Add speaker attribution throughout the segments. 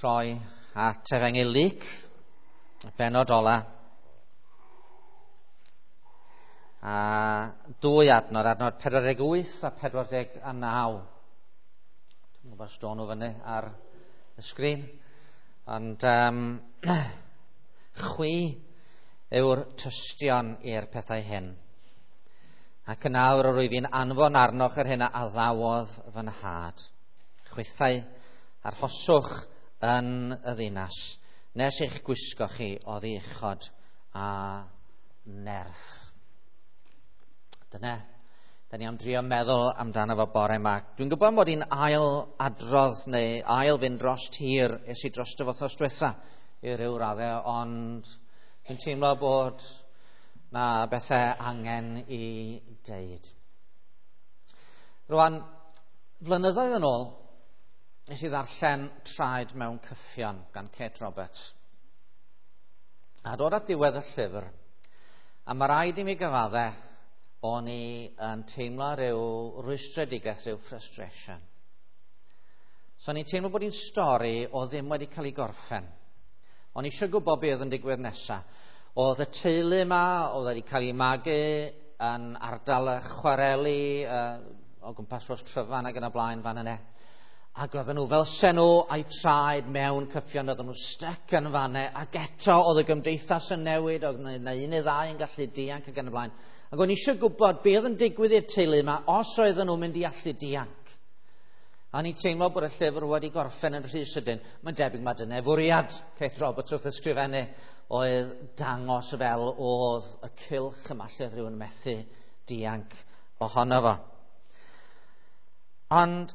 Speaker 1: troi at Efengyl Luc, y bennod ola. A dwy adnod, adnod 48 a 49. Dwi'n gwybod os do'n nhw fyny ar y sgrin. Ond chwi yw'r tystion i'r pethau hyn. Ac yn awr yr wyf fi'n anfon arnoch yr hyn a addawodd fy nhad. Chwithau arhoswch yn y ddinas, nes eich gwisgo chi oddi uchod a nerth. Dyna, da ni am drio meddwl amdano fo bore yma. Dwi'n gwybod mod i'n ail adrodd neu ail fynd dros tir es i dros dy wythnos diwetha i ryw raddau, ond dwi'n teimlo bod na bethau angen i deud. Rwan, flynyddoedd yn ôl, nes i ddarllen Traed mewn Cyffion gan Kate Roberts. A dod at diwedd y llyfr, a mae rhaid i mi gyfadde, o'n i yn teimlo rhyw rwystredigaeth, rhyw frustration. So o'n i'n teimlo bod hi'n stori o ddim wedi cael ei gorffen. O'n i eisiau gwybod beth oedd yn digwydd nesaf. Oedd y teulu yma, oedd wedi cael ei magu yn ardal y chwareli, o gwmpas Rhos Tryfan ac yn y blaen fan yna. Ac oedden nhw fel sen nhw a'i traed mewn cyffion, oedden nhw styc yn fanne, ac eto oedd y gymdeithas yn newid, oedd yna un neu ddau yn gallu dianc ac yn y blaen. Ac o'n i eisiau gwybod beth oedd yn digwydd i'r teulu yma, os oedden nhw'n mynd i allu dianc. A o'n i'n teimlo bod y llyfr wedi gorffen yn rhy sydyn. Mae'n debyg mae dyna fwriad Kate Roberts wrth ysgrifennu oedd dangos fel oedd y cylch yma lle oedd rhywun methu dianc ohono fo. Ond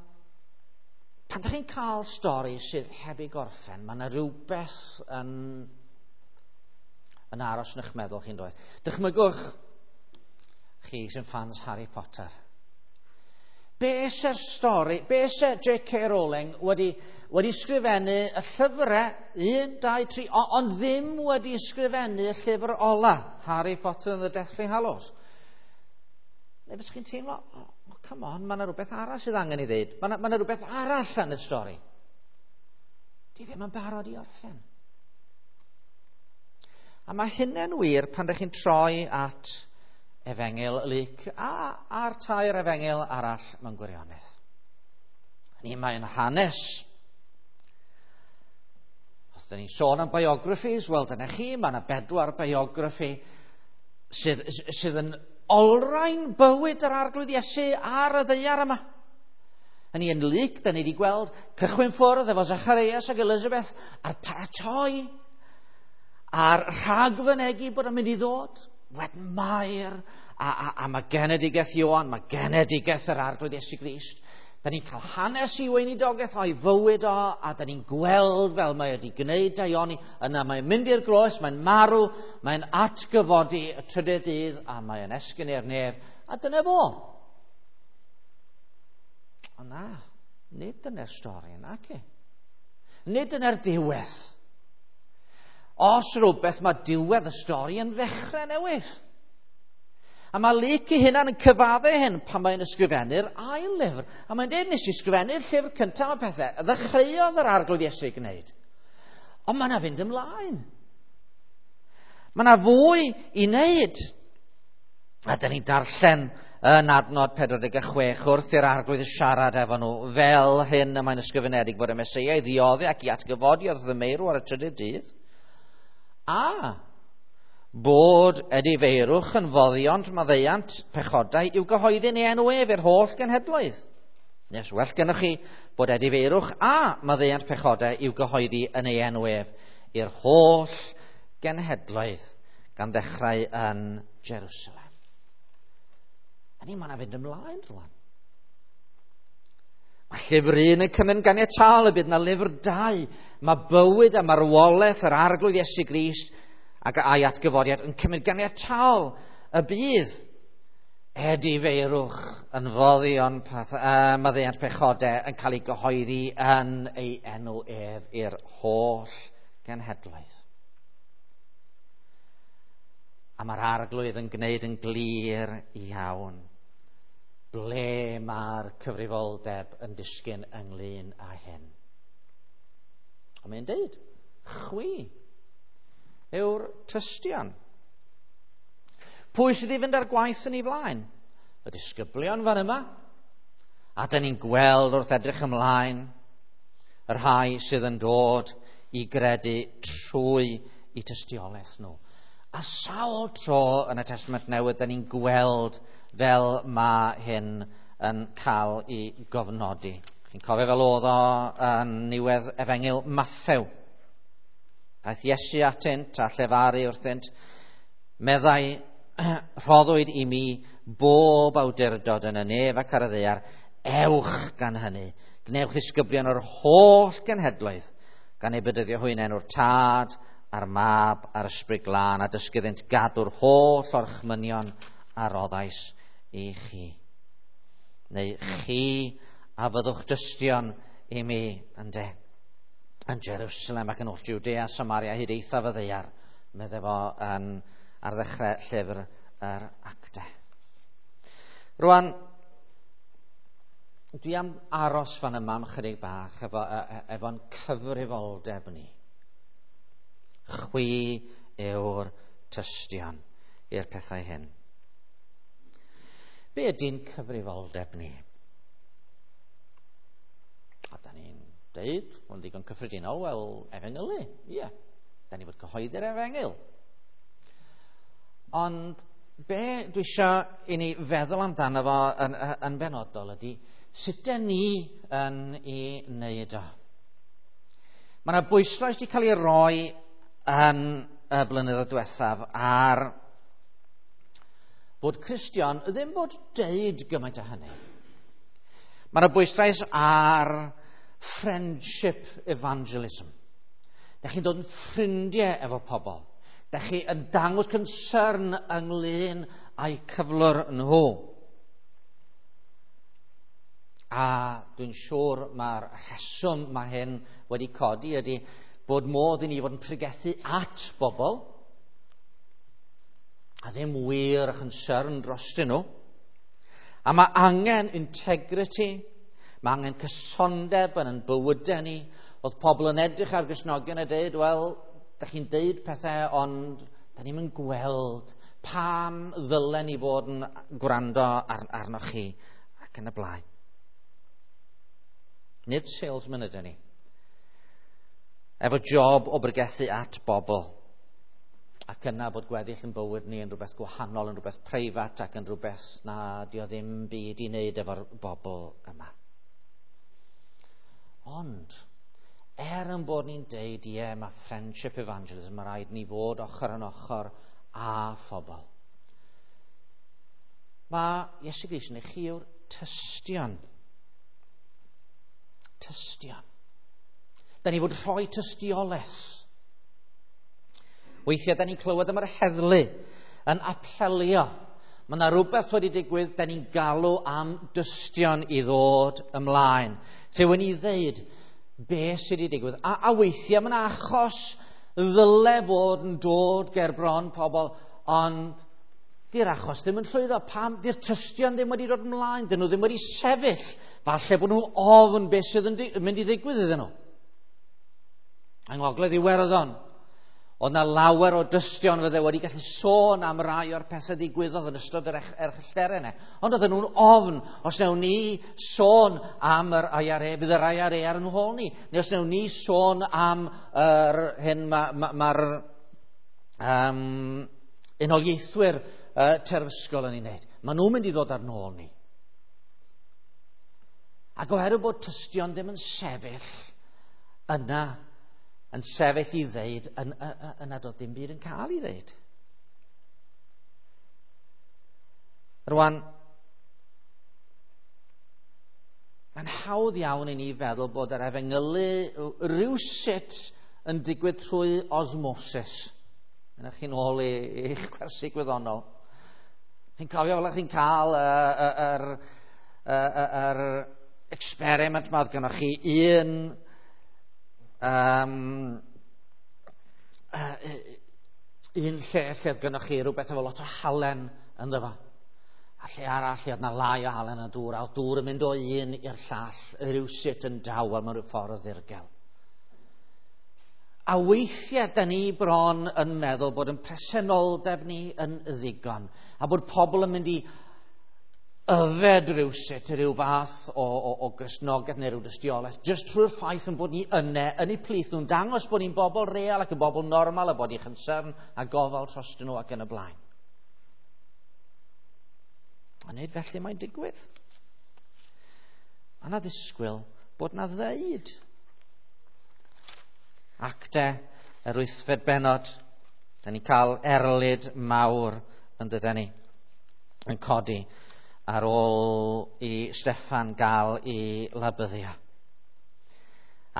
Speaker 1: pan ydych chi'n cael stori sydd heb ei gorffen, mae yna rhywbeth yn aros yn eich meddwl chi'n dweud. Dychmygwch chi sy'n fans Harry Potter. Be se'r stori, be se J.K. Rowling wedi sgrifennu y llyfrau, 1, 2, 3, ond ddim wedi sgrifennu y llyfr ola, Harry Potter and the Deathly Hallows. Neu bys chi'n teimlo, oh, come on, mae yna rhywbeth arall sydd angen i ddeud. Mae yna rhywbeth arall yn y stori. Di ddim yn barod i orffen. A mae hynny'n wir pan ydych chi'n troi at Efengyl Luc a'r tair efengyl arall mewn gwirionedd. Ni mae'n hanes. Os dyn ni'n sôn am biographies, wel dyna chi, mae yna 4 biography sydd yn olrhain bywyd yr Arglwydd Iesu ar y ddaear yma. Hynny yn Luc, da ni wedi gweld cychwyn ffwrdd efo Zacharias ac Elizabeth a'r paratoi a'r rhagfynegi bod yn mynd i ddod. Wedyn Mair, a mae genedigaeth Ioan, mae genedigaeth yr Arglwydd Iesu Grist. Da ni'n cael hanes i weinidogaeth o'i fywyd o, a da ni'n gweld fel mae wedi gwneud daioni. Yna mae'n mynd i'r groes, mae'n marw, mae'n atgyfodi y trydydd dydd, a mae'n esgyn i'r nef, a dyna fo. O na, nid dyna'r stori, naci. Nid dyna'r diwedd. Os rhywbeth, mae diwedd y stori yn ddechrau newydd. A mae Luc ei hunan yn cyfadde hyn pan mae'n ysgrifennu'r ail lyfr. A mae'n dweud, nes i ysgrifennu'r llyfr cyntaf o pethau, ddechreuodd yr Arglwydd Iesu gwneud. Ond mae yna fynd ymlaen. Mae yna fwy i wneud. A dyn ni'n darllen yn adnod 46 wrth i'r Arglwydd siarad efo nhw fel hyn y mae'n ysgrifenedig fod y Meseia i ddioddi ac i atgyfodi wrth y meirw ar y trydydd dydd. A bod edifeirwch yn foddiont maddeuant pechodau i'w gyhoeddi yn ei enw ef i'r holl genhedloedd. Nes well gennych chi bod edifeirwch a maddeuant pechodau i'w gyhoeddi yn ei enw ef i'r holl genhedloedd gan ddechrau yn Jerusalem. A ni mae yna fynd ymlaen rwan. Mae llyfr 1 yn cymryd ganiataol y bydd yna lyfr 2. Mae bywyd a marwolaeth yr Arglwydd Iesu Grist ac a'i atgyfodiad yn cymryd ganiataol y bydd edifeirwch yn foddion maddeuant pechodau yn cael ei gyhoeddi yn ei enw ef i'r holl genhedloedd. A mae'r Arglwydd yn gwneud yn glir iawn ble mae'r cyfrifoldeb yn disgyn ynglyn â hyn. Ond mae'n deud, chwi yw'r tystion. Pwy sydd i fynd â'r gwaith yn ei flaen? Y disgyblion fan yma. A dyn ni'n gweld wrth edrych ymlaen y rhai sydd yn dod i gredu trwy eu tystiolaeth nhw. A sawl tro yn y Testament Newydd, dyn ni'n gweld fel mae hyn yn cael ei gofnodi. Chi'n cofio fel oedd o yn niwedd Efengyl Mathew. Aeth Iesu atynt a llefaru wrthynt, meddai, rhoddwyd i mi bob awdurdod yn y nef ac ar y ddaear, ewch gan hynny, gwnewch ddisgyblion o'r holl genhedloedd, gan eu bedyddio hwy yn enw'r Tad, a'r Mab, a'r Ysbryd Glân, a dysgu iddynt gadw'r holl orchmynion a roddais i chi. Neu chi a fyddwch dystion i mi, ynde, yn Jerusalem ac yn holl Judea, Samaria, hyd eithaf y ddaear, medde fo yn, ar ddechrau llyfr yr Actau. Rwan, dwi am aros fan yma am chydig bach efo'n cyfrifoldeb ni. Chwi yw'r tystion i'r pethau hyn. Be ydy'n cyfrifoldeb ni? A da ni'n deud, mae'n ddigon cyffredinol, wel, efengylu, ie. Yeah. Da ni fod cyhoeddi'r efengyl. Ond be dwi eisiau i ni feddwl amdano fo yn benodol ydy, sut dyn ni yn ei wneud o? Mae yna bwyslais wedi cael ei roi yn y blynyddoedd diwethaf ar bod Cristion ddim bod deud gymaint o hynny. Mae yna bwyslais ar friendship evangelism. Da chi'n dod yn ffrindiau efo pobl. Da chi yn dangos concern ynglyn â'u cyflwr nhw. A dwi'n siŵr mae'r rheswm mae hyn wedi codi ydy bod modd i ni fod yn pregethu at bobl a ddim wir a concern drostyn nhw. A mae angen integrity, mae angen cysondeb yn ein bywydau ni. Oedd pobl yn edrych ar Gristnogion a dweud, wel, da chi'n deud pethau, ond da ni'n mynd gweld pam ddylen ni fod yn gwrando arnoch chi ac yn y blaen. Nid salesman ydyn ni. Efo job o bregethu at bobl. Ac yna bod gweddill yn bywyd ni yn rhywbeth gwahanol, yn rhywbeth preifat ac yn rhywbeth na di o ddim byd i wneud efo'r bobl yma. Ond, er yn bod ni'n deud, ie, mae friendship evangelism, mae rhaid ni fod ochr yn ochr â phobl. Mae Iesu Grist yn eich chi yw'r tystion. Tystion. Da ni fod rhoi tystiolaeth. Weithiau, da ni'n clywed am yr heddlu yn apelio. Mae yna rhywbeth wedi digwydd, da ni'n galw am dystion i ddod ymlaen. Rhywun i ddeud be sydd wedi digwydd. A weithiau mae yna achos ddyle fod yn dod ger bron pobl, ond di'r achos ddim yn llwyddo. Pam? Di'r tystion ddim wedi dod ymlaen, dyn nhw ddim wedi sefyll. Falle bod nhw ofn beth sydd yn mynd i ddigwydd iddyn nhw. Yng Ngogledd Iwerddon, oedd na lawer o dystion fydde wedi gallu sôn am rai o'r pethau ddigwyddodd yn ystod yr erchyllterau yna. Ond oedden nhw'n ofn, os wnawn ni sôn am yr IRA, bydd yr IRA ar yn hôl ni. Neu os wnawn ni sôn am yr hyn mae'r unoliaethwyr terfysgol yn ei wneud. Maen nhw'n mynd i ddod ar nôl ni. Ac oherwydd bod tystion ddim yn sefyll yna, yn sefyll i ddeud, yna doedd dim byd yn cael ei ddeud. Rwan, mae'n hawdd iawn i ni feddwl bod yr efengylu rhywsut yn digwydd trwy osmosis. Yna chi'n ôl i'ch gwersi gwyddonol. Chi'n cofio fel chi'n cael yr experiment ma oedd gennych chi un lle lle oedd gennych chi rhywbeth efo lot o halen ynddo fo. A lle arall lle oedd na lai o halen yn y dŵr, a oedd dŵr yn mynd o un i'r llall, rhywsut yn dawel mewn rhyw ffordd ddirgel. A weithiau, da ni bron yn meddwl bod yn presenoldeb ni yn ddigon, a bod pobl yn mynd i yfed rhywsut rhyw fath o Gristnogaeth neu rhyw dystiolaeth, jyst trwy'r ffaith yn bod ni yne, yn eu plith nhw'n dangos bod ni'n bobl real ac yn bobl normal a bod ni'n concern a gofal trostyn nhw ac yn y blaen. A nid felly mae'n digwydd. Mae yna ddisgwyl bod na ddeud. Actau, yr 8fed bennod, da ni'n cael erlid mawr yn dydyn ni, yn codi ar ôl i Steffan gael ei labyddio.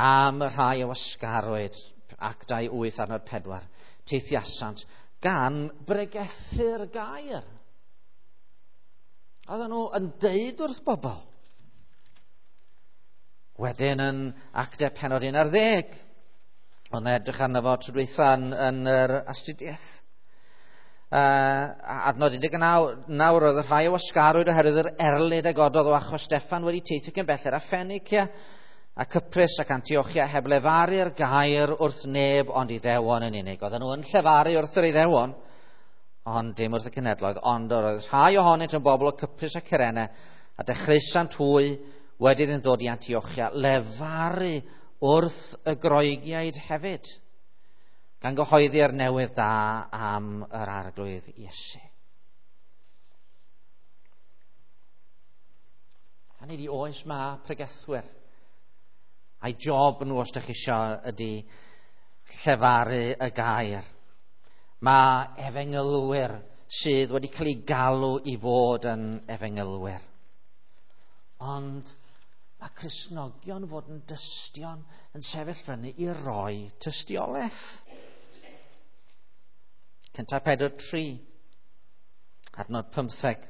Speaker 1: Am y rhai o wasgarwyd, Actau 8 adnod 4, teithiasant gan bregethu'r gair. Oedden nhw yn deud wrth bobl. Wedyn yn Actau pennod 11, ond edrych arno fo tro dwytha yn yr astudiaeth. Adnod 19, nawr oedd y rhai o wasgarwyd oherwydd yr erlid a gododd o achos Steffan wedi teithio cyn belled a Ffenicia a Cyprus ac Antiochia heb lefaru'r gair wrth neb ond Iddewon yn unig. Oedden nhw yn llefaru wrth yr Iddewon, ond dim wrth y cenhedloedd, ond oedd rhai ohonynt yn bobl o Cyprus a Cyrene, a dechreusant hwy wedi iddyn ddod i Antiochia lefaru wrth y Groegiaid hefyd, gan gyhoeddi'r newydd da am yr Arglwydd Iesu. Hynny ydi, oes ma pregethwyr. A'i job nhw, os ydych chi isio, ydy llefaru y gair. Mae efengylwyr sydd wedi cael eu galw i fod yn efengylwyr. Ond mae Cristnogion fod yn dystion yn sefyll fyny i roi tystiolaeth. 1 Pedr 3, adnod 15.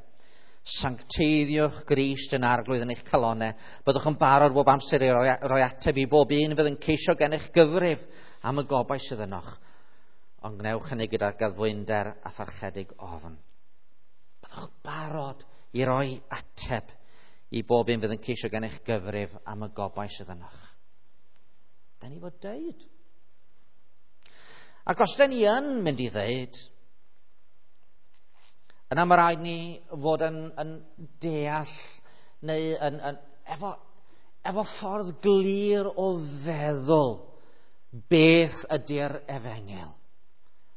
Speaker 1: Sancteiddiwch Grist yn Arglwydd yn eich calonau. Byddwch yn barod bob amser i roi ateb i bob un fydd yn ceisio gennych gyfrif am y gobaith sydd ynoch. Ond gwnewch hynny gyda gaddfwynder a pharchedig ofn. Byddwch barod i roi ateb i bob un fydd yn ceisio gennych gyfrif am y gobaith sydd ynoch. Da ni fod deud. Ac os da ni yn mynd i ddeud, yna mae rhaid ni fod yn deall neu efo ffordd glir o feddwl beth ydy'r efengyl.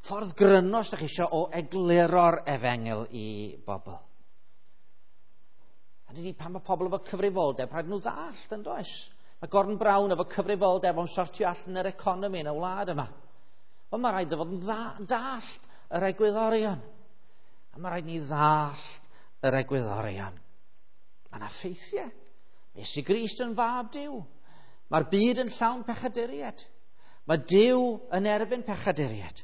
Speaker 1: Ffordd gryno, os ydych chi eisiau, o egluro'r efengyl i bobl. A dydy pan mae pobl efo cyfrifoldeb, rhaid nhw ddallt, yn does? Mae Gordon Brown efo cyfrifoldeb o'n sortio allan yr economi yn y wlad yma. Ond mae rhaid fod yn dallt yr egwyddorion. A mae rhaid ni ddallt yr egwyddorion. Mae yna ffeithiau. Mae Iesu Grist yn fab Duw. Mae'r byd yn llawn pechaduriaid. Mae Duw yn erbyn pechaduriaid,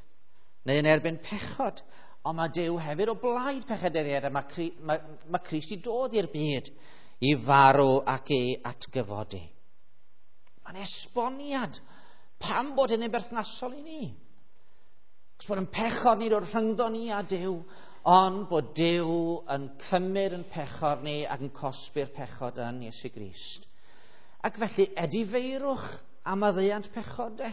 Speaker 1: neu yn erbyn pechod. Ond mae Duw hefyd o blaid pechaduriaid, a mae Crist i dod i'r byd i farw ac i atgyfodi. Mae'n esboniad pam bod hynny'n berthnasol i ni. Cos bod yn pechod ni dod rhyngddo ni a Duw, ond bod Duw yn cymryd yn pechod ni ac yn cosbi'r pechod yn Iesu Grist. Ac felly edifeirwch am maddeuant pechod de.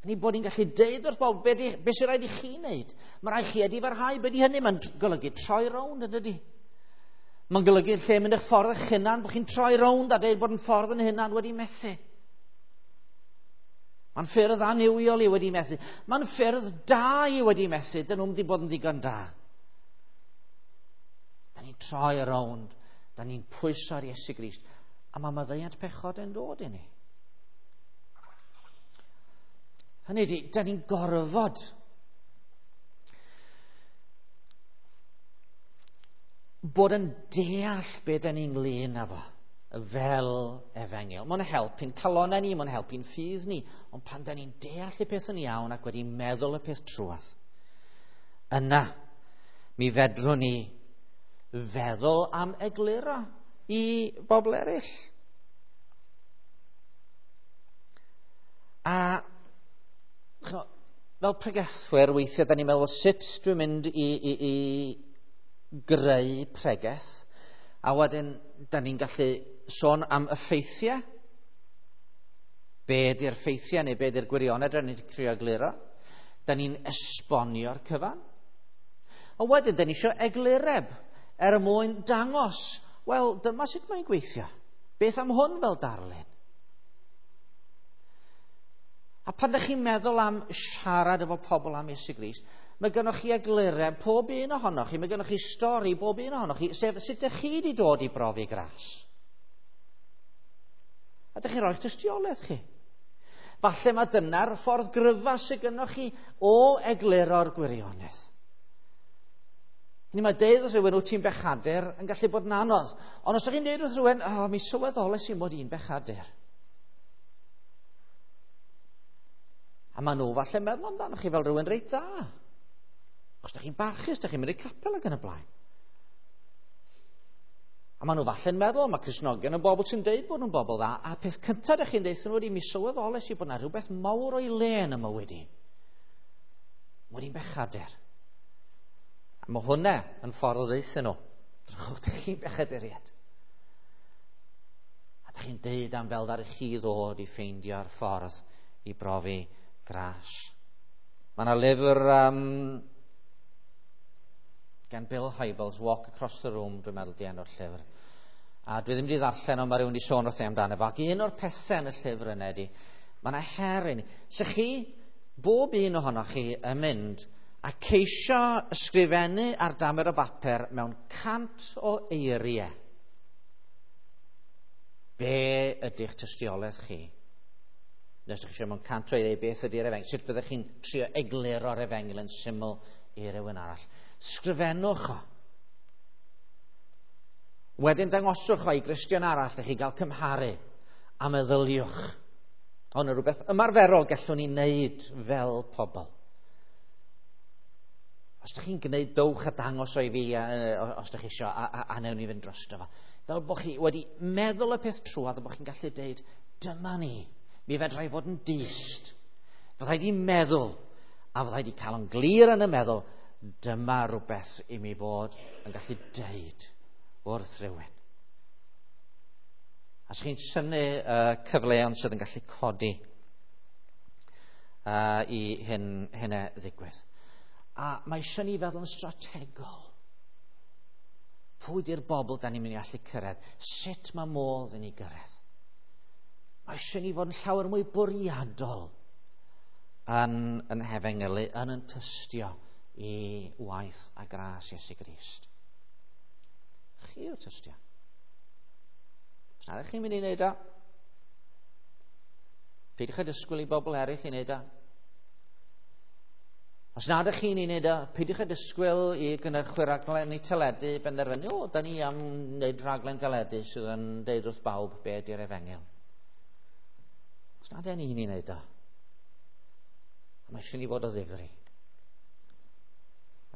Speaker 1: Ni bod ni'n gallu deud wrth bobl be sy'n rhaid i chi wneud. Mae rhaid chi edifarhau, be di hynny? Mae'n golygu troi rownd, yn dydi? Mae'n golygu lle mynd eich ffordd eich hunan, bod chi'n troi rownd a deud bod yn ffordd yn hunan wedi methu. Mae'n ffyrdd annuwiol i wedi methu. Mae'n ffyrdd da i wedi methu. Dyn nhw'm wedi bod yn ddigon da. Da ni'n troi rownd. Da ni'n pwyso ar Iesu Grist. A mae maddeuant pechod yn dod i ni. Hynny ydi, da ni'n gorfod bod yn deall be da ni'n ynglyn â fo fel efengyl. Mae'n helpu'n calonau ni, mae'n helpu'n ffydd ni, ond pan da ni'n deall y peth yn iawn ac wedi meddwl y peth trwadd, yna mi fedrwn ni feddwl am egluro i bobl eraill. A fel pregethwyr, weithiau da ni'n meddwl sut dwi'n mynd i greu pregeth, a wedyn da ni'n gallu sôn am y ffeithiau, Be ydy'r ffeithiau neu be ydy'r gwirionedd da ni'n trio egluro. Da ni'n esbonio'r cyfan. A wedyn, da ni eisiau eglureb er mwyn dangos, wel, dyma sut mae'n gweithio. Beth am hwn fel darlun? A pan ydych chi'n meddwl am siarad efo pobl am Iesu Grist, mae gennych chi eglureb pob un ohonoch chi, mae gennych chi stori bob un ohonoch chi, sef sut ydych chi wedi dod i brofi gras. A ydych chi'n rhoi'ch tystiolaeth chi. Falle mae dyna'r ffordd gryfa sydd gennych chi o egluro'r gwirionedd. Hynny mae deud wrth rhywun wyt ti'n bechadur yn gallu bod yn anodd. Ond os ydych chi'n deud wrth rhywun, o, mi sylweddolais i mod i'n bechadur. A maen nhw falle meddwl amdanoch chi fel rhywun reit dda. Os ydych chi'n barchus, ydych chi'n mynd i'r capel ac yn y blaen. A maen nhw falle'n meddwl, mae Cristnogion yn bobl sy'n deud bod nhw'n bobl dda, a peth cyntaf ydych chi'n deud nhw wedi mi sylweddolais i bod yna rhywbeth mawr o'i le yn y mywyd i. Mod i'n bechadur. A mae hwnna yn ffordd o ddeutha nhw. Drychwch, ydych chi'n bechaduriad. A ydych chi'n deud am fel ddaru chi ddod i ffeindio'r ffordd i brofi gras. Mae yna lyfr gan Bill Hybels, Walk Across the Room, dwi'n meddwl di enw'r llyfr. A dwi ddim wedi ddarllen, ond mae rhywun wedi sôn wrth ei amdano fo. Ac un o'r pethau yn y llyfr yna ydi, mae yna her i ni. So chi, bob un ohonoch chi yn mynd a ceisio ysgrifennu ar damer o bapur mewn 100 o eiriau. Be ydy'ch tystiolaeth chi? Nes ydych chi eisiau mewn 100 o eiriau, beth ydy'r efengyl? Sut fyddech chi'n trio egluro'r efengyl yn syml i rywun arall? Sgrifennwch o. Wedyn dangoswch o i Gristion arall i chi gael cymharu a meddyliwch. Hwn yn rhywbeth ymarferol gallwn ni wneud fel pobl. Os ydych chi'n gwneud, dowch a dangos o i fi, os ydych chi eisiau, a newn ni fynd drosto fo. Fel bod chi wedi meddwl y peth trwodd a bod chi'n gallu deud, dyma ni, mi fedra i fod yn dyst. Fyddai di meddwl, a fyddai di cael yn glir yn y meddwl, dyma rhywbeth i mi fod yn gallu deud wrth rhywun. A os chi'n synnu cyfleon sydd yn gallu codi i hynna ddigwydd. A mae eisiau ni feddwl yn strategol. Pwy di'r bobl da ni'n mynd i allu cyrraedd? Sut mae modd i ni gyrraedd? Mae eisiau ni fod yn llawer mwy bwriadol yn hefengylu, yn tystio i waith a gras Iesu Grist. Chi yw'r tystio. Os nad ydych chi'n mynd i wneud o, peidiwch â disgwyl i bobl eraill i wneud o. Os nad ydych chi'n ei wneud o, peidiwch â disgwyl i gynhyrchwyr rhaglenni teledu benderfynu, o, da ni am wneud rhaglen teledu sydd yn deud wrth bawb be ydy'r efengyl. Os nad ydych ni'n ei wneud o, mae eisiau ni fod o ddifri.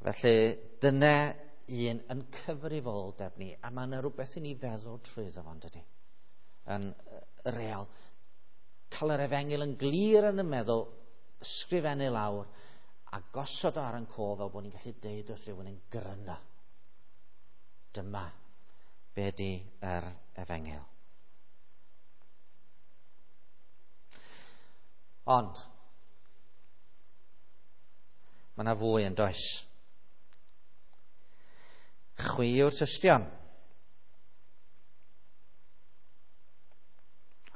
Speaker 1: Felly, dyna un yn cyfrifoldeb ni, a mae yna rhywbeth i ni feddwl trwyddo fo, dydy? Yn real. Cael yr efengyl yn glir yn y meddwl, ysgrifennu lawr, a gosod o ar yn cof fel bod ni'n gallu deud wrth rhywun yn gryno. Dyma be di yr efengyl. Ond, mae yna fwy yn does. Chwi yw'r tystion.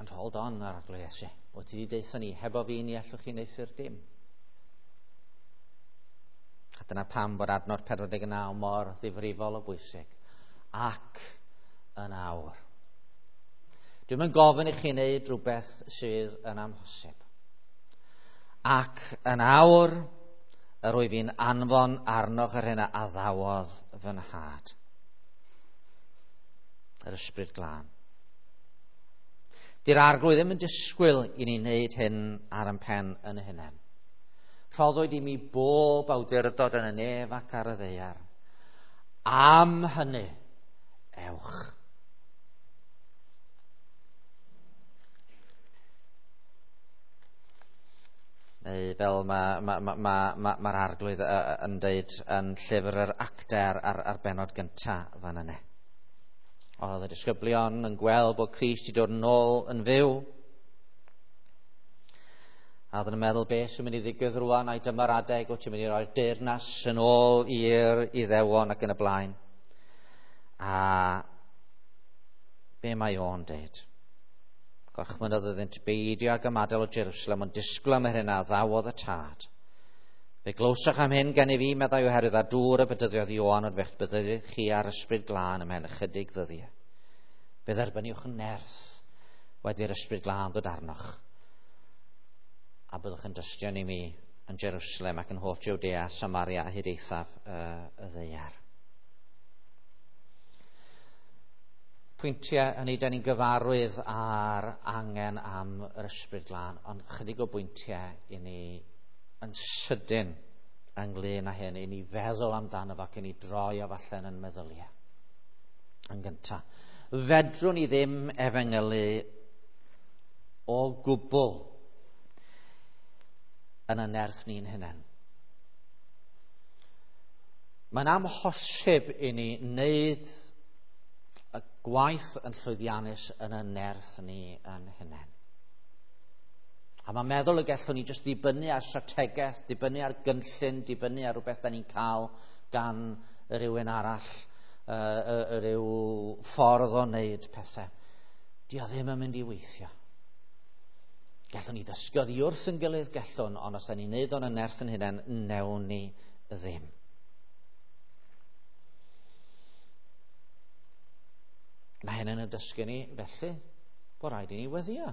Speaker 1: Ond hold on, ar Arglwydd Iesu. Wyt ti wedi deutha ni, hebo fi ni allwch chi wneuthur dim. A dyna pam bod adnod 49 mor ddifrifol o bwysig. Ac yn awr. Dwi'm yn gofyn i chi wneud rhywbeth sydd yn amhosib. Ac yn awr, yr wyf fi'n anfon arnoch yr hyn a addawodd fy nhad. Yr Ysbryd Glân. Di'r Arglwydd ddim yn disgwyl i ni wneud hyn ar ein pen yn y hunain. Rhoddwyd i mi bob awdurdod yn y nef ac ar y ddaear. Am hynny, ewch. Neu fel mae'r Arglwydd yn deud yn llyfr yr Actau ar benod gyntaf fan yna. Oedd y disgyblion yn gweld bod Crist wedi dod yn ôl yn fyw. A oedden nhw'n meddwl beth sy'n mynd i ddigwydd rwan, ai dyma'r adeg wyt ti'n mynd i roi'r deyrnas yn ôl i'r Iddewon ac yn y blaen. A be mae o'n deud? Gorchmynnodd iddynt beidio ag ymadael o Jerusalem, ond disgwyl am yr hyn a ddawodd y tad. Fe glywsoch am hyn gen i fi, meddai, oherwydd â dŵr y bedyddiodd Ioan, ond fe'ch bedyddiodd chi ar ysbryd glân ymhen ychydig ddyddiau. Fe dderbyniwch nerth wedi'r ysbryd glân ddod arnoch, a byddwch yn dystion i mi yn Jerusalem ac yn holl Jwdea, Samaria a hyd eithaf y ddaear. Pwyntiau hynny, da ni'n gyfarwydd â'r angen am yr ysbryd glân, ond chydig o bwyntiau i ni yn sydyn ynglyn â hyn, i ni feddwl amdano fo ac i ni droi o falle yn meddyliau. Yn gyntaf, fedrwn ni ddim efengylu o gwbl yn y nerth ni'n hunain. Mae'n amhosib i ni wneud y gwaith yn llwyddiannus yn y nerth ni yn hunain. A mae'n meddwl y gallwn ni jyst ddibynnu ar strategaeth, dibynnu ar gynllun, dibynnu ar rhywbeth da ni'n cael gan rhywun arall, rhyw ffordd o wneud pethau. Di o ddim yn mynd i weithio. Gallwn ni ddysgu oddi wrth yn gilydd, gallwn, ond os da ni'n neud o'n y nerth yn hunain, newn ni ddim. Mae hyn yn y dysgu ni, felly, bod rhaid i ni weddio.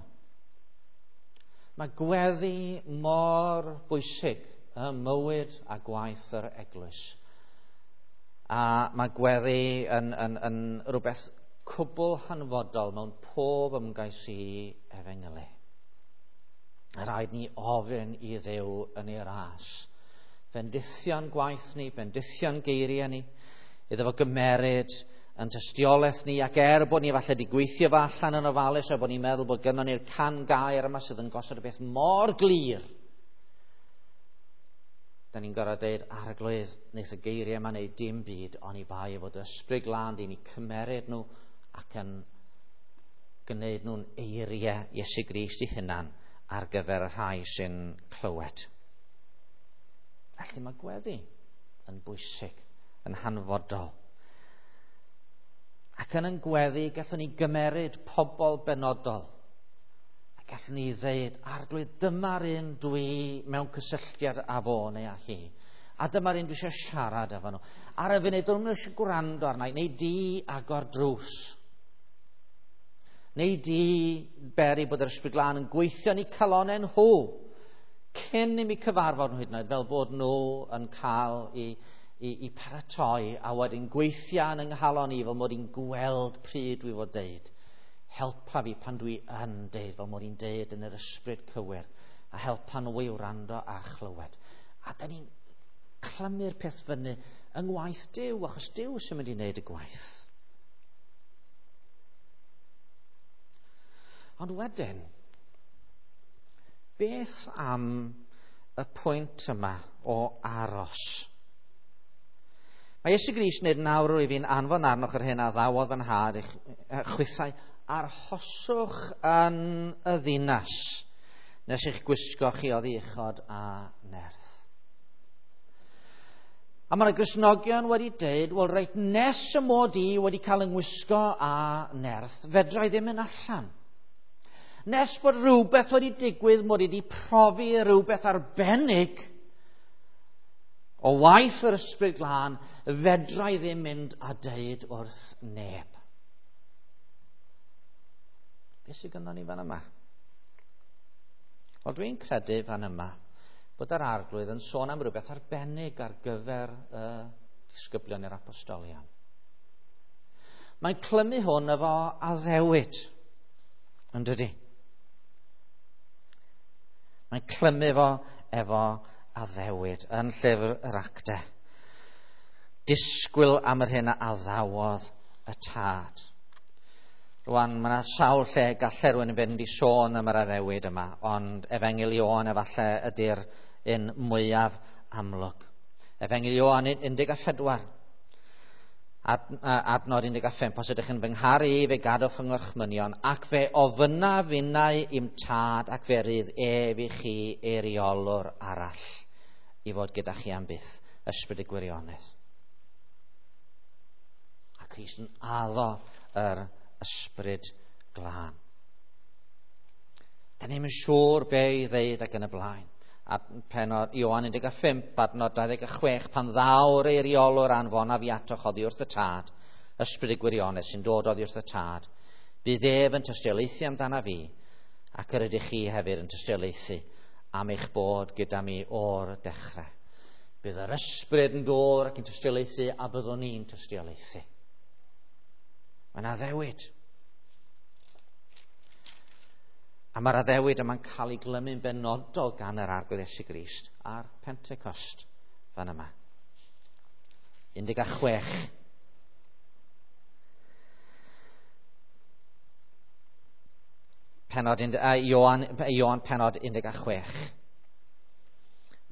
Speaker 1: Mae gweddi mor bwysig ym mywyd a gwaith yr eglwys. A mae gweddi yn rhywbeth cwbl hanfodol mewn pob ymgais i efengylu. Rhaid ni ofyn i Dduw yn ei ras. Bendithion gwaith ni, bendithion geiriau ni, iddo fo gymeryd yn tystiolaeth ni, ac er bod ni falle wedi gweithio fo allan yn ofalus, a bod ni'n meddwl bod gynnon ni'r can gair yma sydd yn gosod y beth mor glir, da ni'n gorfod deud, Arglwydd, wneith y geiriau yma wneud dim byd, oni bai fod ysbryd glân di ni cymeryd nhw ac yn gwneud nhw'n eiriau Iesu Grist ei hunan ar gyfer y rhai sy'n clywed. Felly mae gweddi yn bwysig, yn hanfodol. Ac yn gweddi, gallwn ni gymeryd pobl benodol. A gallwn ni ddeud, Arglwydd, dyma'r un dwi mewn cysylltiad â fo neu â hi. A dyma'r un dwi eisiau siarad efo nhw. Ar y funud, dwi eisiau gwrando arna i, neu di agor drws. Neu di beri bod yr ysbryd glân yn gweithio yn eu calonnau nhw cyn i mi cyfarfod nhw hyd yn oed, fel bod nhw yn cael i paratoi a wedyn gweithio yn yng nghalon i fel mod i'n gweld pryd dwi fod deud. Helpa fi pan dwi yn deud, fel mod i'n deud yn yr ysbryd cywir, a helpa nhw i wrando a chlywed. A da ni'n clymu'r peth fyny yng ngwaith Duw, achos Duw sy'n mynd i wneud y gwaith. Ond wedyn, beth am y pwynt yma o aros? Mae Iesu Grist yn dweud, nawr rwyf fi'n anfon arnoch yr hyn a ddawodd fy nhad i'ch chwithau, arhoswch yn y ddinas nes eich gwisgo chi oddi uchod a nerth. A mae'r Gristnogion wedi dweud, wel reit, nes y mod i wedi cael yng ngwisgo a nerth, fedra i ddim mynd allan. Nes bod rhywbeth wedi digwydd, mod i wedi profi rhywbeth arbennig o waith yr ysbryd glân, fedra i ddim mynd a deud wrth neb. Beth sydd gynnon ni fan yma? Wel, dwi'n credu fan yma bod yr Arglwydd yn sôn am rhywbeth arbennig ar gyfer y disgyblion i'r apostolion. Mae'n clymu hwn efo addewid, yn dydi? Mae'n clymu fo efo addewid yn llyfr yr Actau. Disgwyl am yr hyn a addawodd y tad. Rwan, mae yna sawl lle gallai rhywun yn fynd i sôn am yr addewid yma, ond Efengyl Ioan efallai ydy'r un mwyaf amlwg. Efengyl Ioan 14. Adnod 15, os ydych yn fy ngharu i, fe gadwch fy ngorchmynion, ac fe ofynnaf finnau i'm tad, ac fe rydd ef i chi eiriolwr arall i fod gyda chi am byth, ysbryd y gwirionedd. A Crist yn addo yr ysbryd glân. Da ni'n siŵr be i ddeud ac yn y blaen. A penod Ioan 15, adnod 26, pan ddaw'r eiriolwr anfonaf i atoch oddi wrth y tad, ysbryd y gwirionedd sy'n dod oddi wrth y tad, bydd ef yn tystiolaethu amdana fi, ac yr ydych chi hefyd yn tystiolaethu am eich bod gyda mi o'r dechrau. Bydd yr ysbryd yn dod ac yn tystiolaethu, a byddwn ni'n tystiolaethu. Mae'n addewid. A mae'r addewid yma'n cael ei glymu'n benodol gan yr Arglwydd Iesu Grist a'r Pentecost fan yma. 16. Penod, Ioan penod 16.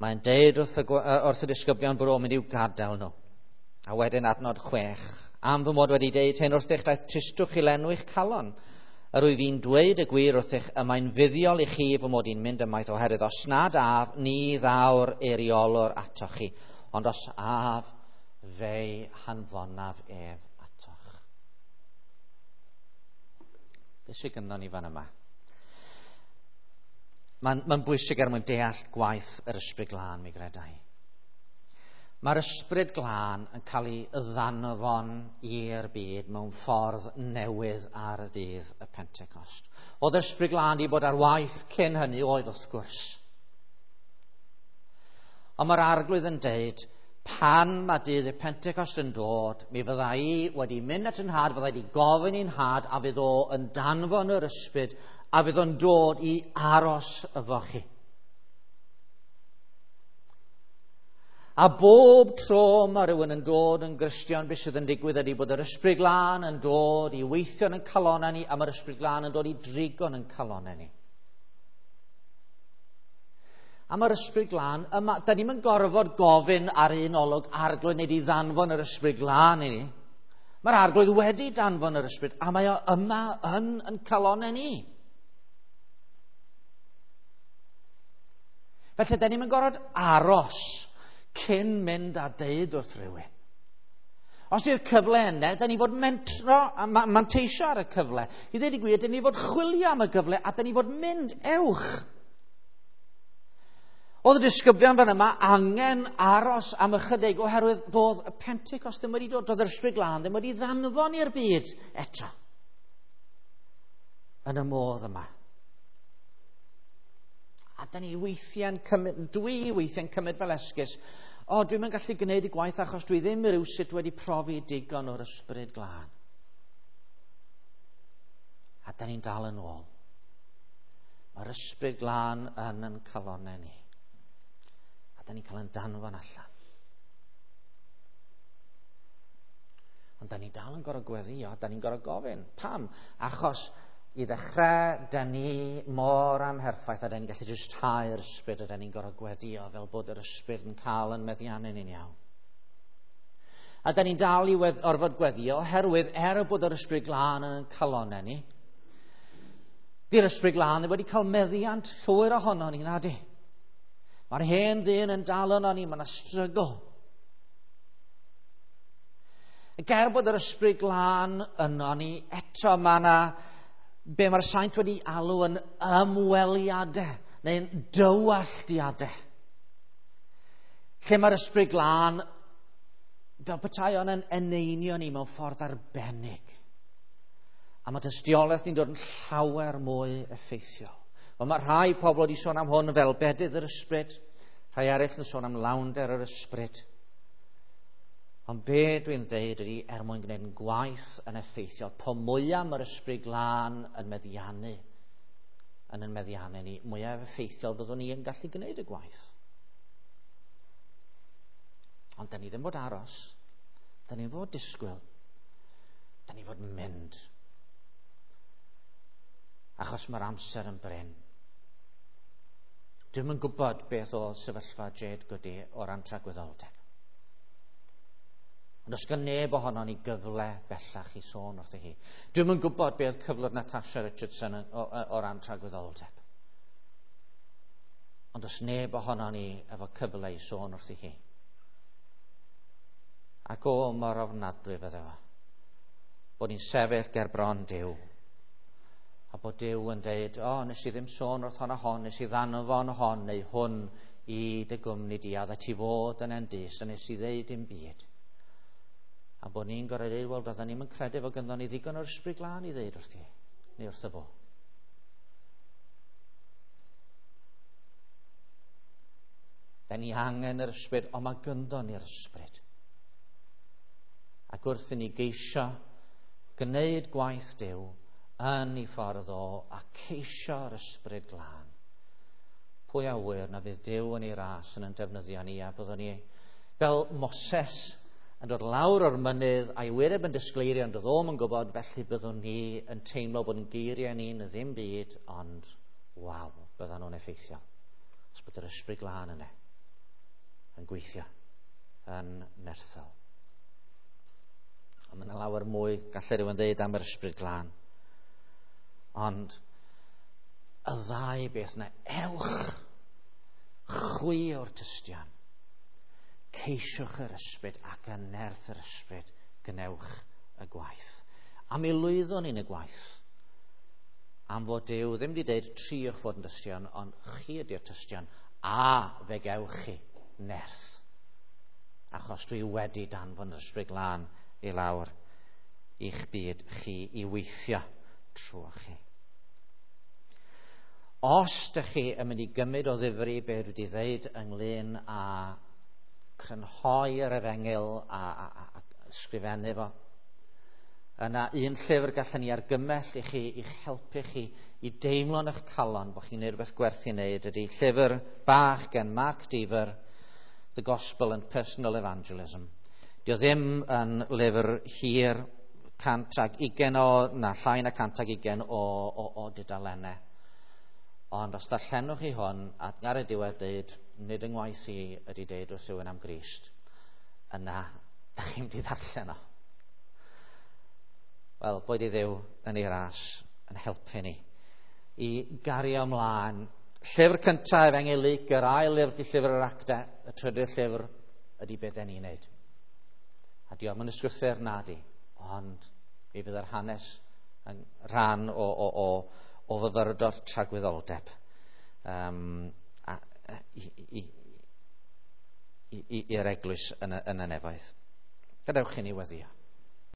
Speaker 1: Mae'n deud wrth y disgyblion bod o'n mynd i'w gadael nhw. A wedyn adnod 6. Am fy mod wedi deud hyn wrthych, daeth tristwch i lenwi'ch calon. Yr wyf fi'n dweud y gwir wrthych, y mae'n fuddiol i chi fy mod i'n mynd ymaith, oherwydd os nad af, ni ddaw'r eiriolwr atoch chi, ond os af, fe'i hanfonaf ef atoch. Beth sydd gynnon ni fan yma? Mae'n bwysig er mwyn deall gwaith yr Ysbryd Glân, mi gredai. Mae'r Ysbryd Glân yn cael ei ddanfon i'r byd mewn ffordd newydd ar y ddydd y Pentecost. Oedd yr Ysbryd Glân wedi bod ar waith cyn hynny, oedd wrth gwrs. Ond mae'r Arglwydd yn deud, pan mae dydd y Pentecost yn dod, mi fydda i wedi mynd at yn nhad, fydda i wedi gofyn i'n nhad, a fydd o yn danfon yr Ysbryd, a fydd o'n dod i aros efo chi. A bob tro mae rhywun yn dod yn Gristion, beth sydd yn digwydd ydy bod yr Ysbryd Glân yn dod i weithio yn calonau ni, a mae'r Ysbryd Glân yn dod i drigo'n yn calonau ni. A mae'r Ysbryd Glân yma, da ni'm yn gorfod gofyn ar un olwg Arglwydd neu i ddanfon yr Ysbryd Glân i ni. Mae'r Arglwydd wedi danfon yr Ysbryd, a mae o yma yn calonau ni. Felly, da ni'm yn gorfod aros cyn mynd a deud wrth rhywun. Os yw'r cyfle yna, da ni fod mentro a manteisio ar y cyfle. I ddweud y gwir, da ni fod chwilio am y gyfle a da ni fod mynd ewch. Oedd y disgyblion fan yma angen aros am ychydig oherwydd doedd y Pentecost ddim wedi dod, doedd yr Ysbryd Glân ddim wedi ddanfon i'r byd eto. Yn y modd yma. A da ni weithiau'n cymryd, dwi weithiau'n cymryd fel esgus, o, dwi'm yn gallu gwneud y gwaith achos dwi ddim rywsut wedi profi digon o'r Ysbryd Glân. A da ni'n dal yn ôl. Mae'r Ysbryd Glân yn calonau ni. A da ni'n cael yn danfon allan. Ond da ni dal yn gorfod gweddïo, da ni'n gorfod gofyn. Pam? Achos i ddechrau, da ni mor amherffaith a da ni'n gallu jyst hau'r ysbryd a da ni'n gorfod gweddïo fel bod yr ysbryd yn cael yn meddiannu ni'n iawn. A da ni'n dal i orfod gweddïo oherwydd er bod yr Ysbryd Glân yn calonau ni, di'r Ysbryd Glân ddim wedi cael meddiant llwyr ohono ni, na di. Mae'r hen ddyn yn dal yno ni, mae yna strygl. Ac er bod yr Ysbryd Glân yno ni, eto mae yna be mae'r saint wedi alw yn ymweliadau neu'n dywalltiadau. Lle mae'r Ysbryd Glân fel petai o'n yn eneinio ni mewn ffordd arbennig. A mae tystiolaeth ni'n dod yn llawer mwy effeithiol. Wel, mae rhai pobl wedi sôn am hwn fel bedydd yr ysbryd, rhai eraill yn sôn am lawnder yr ysbryd. Ond be dwi'n dweud ydy, er mwyn gwneud yn gwaith yn effeithiol, po mwyaf mae'r Ysbryd Glân yn meddiannu, yn meddiannu ni, mwyaf effeithiol byddwn ni yn gallu gwneud y gwaith. Ond da ni ddim fod aros, da ni fod disgwyl, da ni fod mynd. Achos mae'r amser yn brin. Dwi'm yn gwybod beth oedd sefyllfa Jade Goody o ran tragwyddoldeb. Ond os gan neb ohono ni gyfle bellach i sôn wrthi hi. Dwi'm yn gwybod beth oedd cyflwr Natasha Richardson o ran tragwyddoldeb. Ond os neb ohono ni efo cyfle i sôn wrthi hi. Ac o, mor ofnadwy fydde fo. Bod ni'n sefyll ger bron Duw. A bod Duw yn deud, o, nes i ddim sôn wrth hon a hon, nes i ddanfon hon neu hwn i dy gwmni di, a dda ti fod yn endus, a nes i ddeud dim byd. A bod ni'n gorau dweud, wel, doedden ni'n credu fod gynddon ni ddigon o'r Ysbryd Glân i ddeud wrthi, neu wrtho fo. Da ni angen yr ysbryd, ond mae gynddon ni'r ysbryd. Ac wrth i ni geisio gwneud gwaith Duw yn ei ffordd o a ceisio'r Ysbryd Glân, pwy a ŵyr na fydd Duw yn ei ras yn defnyddio ni, a byddwn ni fel Moses yn dod lawr o'r mynydd a'i wyneb yn disgleirio, ond doedd o'm yn gwybod, felly byddwn ni yn teimlo bod yn geiriau ni'n ddim byd, ond waw, byddan nhw'n effeithiol. Os bod yr Ysbryd Glân yna yn gweithio yn nerthol. Ond mae yna lawer mwy gallai rhywun ddeud am yr Ysbryd Glân. Ond y ddau beth yna, ewch chwi o'r tystion. Ceisiwch yr ysbryd ac yn nerth yr ysbryd gwnewch y gwaith. A mi lwyddwn ni'n y gwaith. Am fod Duw ddim wedi dweud triwch fod yn dystion, ond chi ydy'r tystion, a fe gewch chi nerth. Achos dwi wedi danfon yr Ysbryd Glân i lawr i'ch byd chi i weithio trwy chi. Os ydych chi yn mynd i gymryd o ddifri be dwi wedi ddeud ynglyn â crynhoi yr efengyl a ysgrifennu fo, yna un llyfr gallwn ni argymell i chi, i'ch helpu chi i deimlo yn eich calon bod chi'n gwneud rhywbeth gwerth i wneud, ydy llyfr bach gen Mark Dever, The Gospel and Personal Evangelism. Dio ddim yn lyfr hir, 120 o, na llai na 120 o dudalennau. Ond os darllenwch chi hwn, a ar y diwedd dweud, nid yng ngwaith i ydy deud wrth rhywun am Grist, yna, da chi'n mynd i ddarllen o. Wel, boed i Dduw yn ei ras yn helpu ni i gario ymlaen. Llyfr cyntaf Efengyl Luc, yr ail lyfr ydy llyfr yr Actau, y trydydd llyfr ydy beth den ni'n neud. A diolch yn ysgrythur na di, ond mi fydd yr hanes yn rhan o fyfyrdod tragwyddoldeb i'r eglwys yn y nefoedd. Gadewch i ni weddio.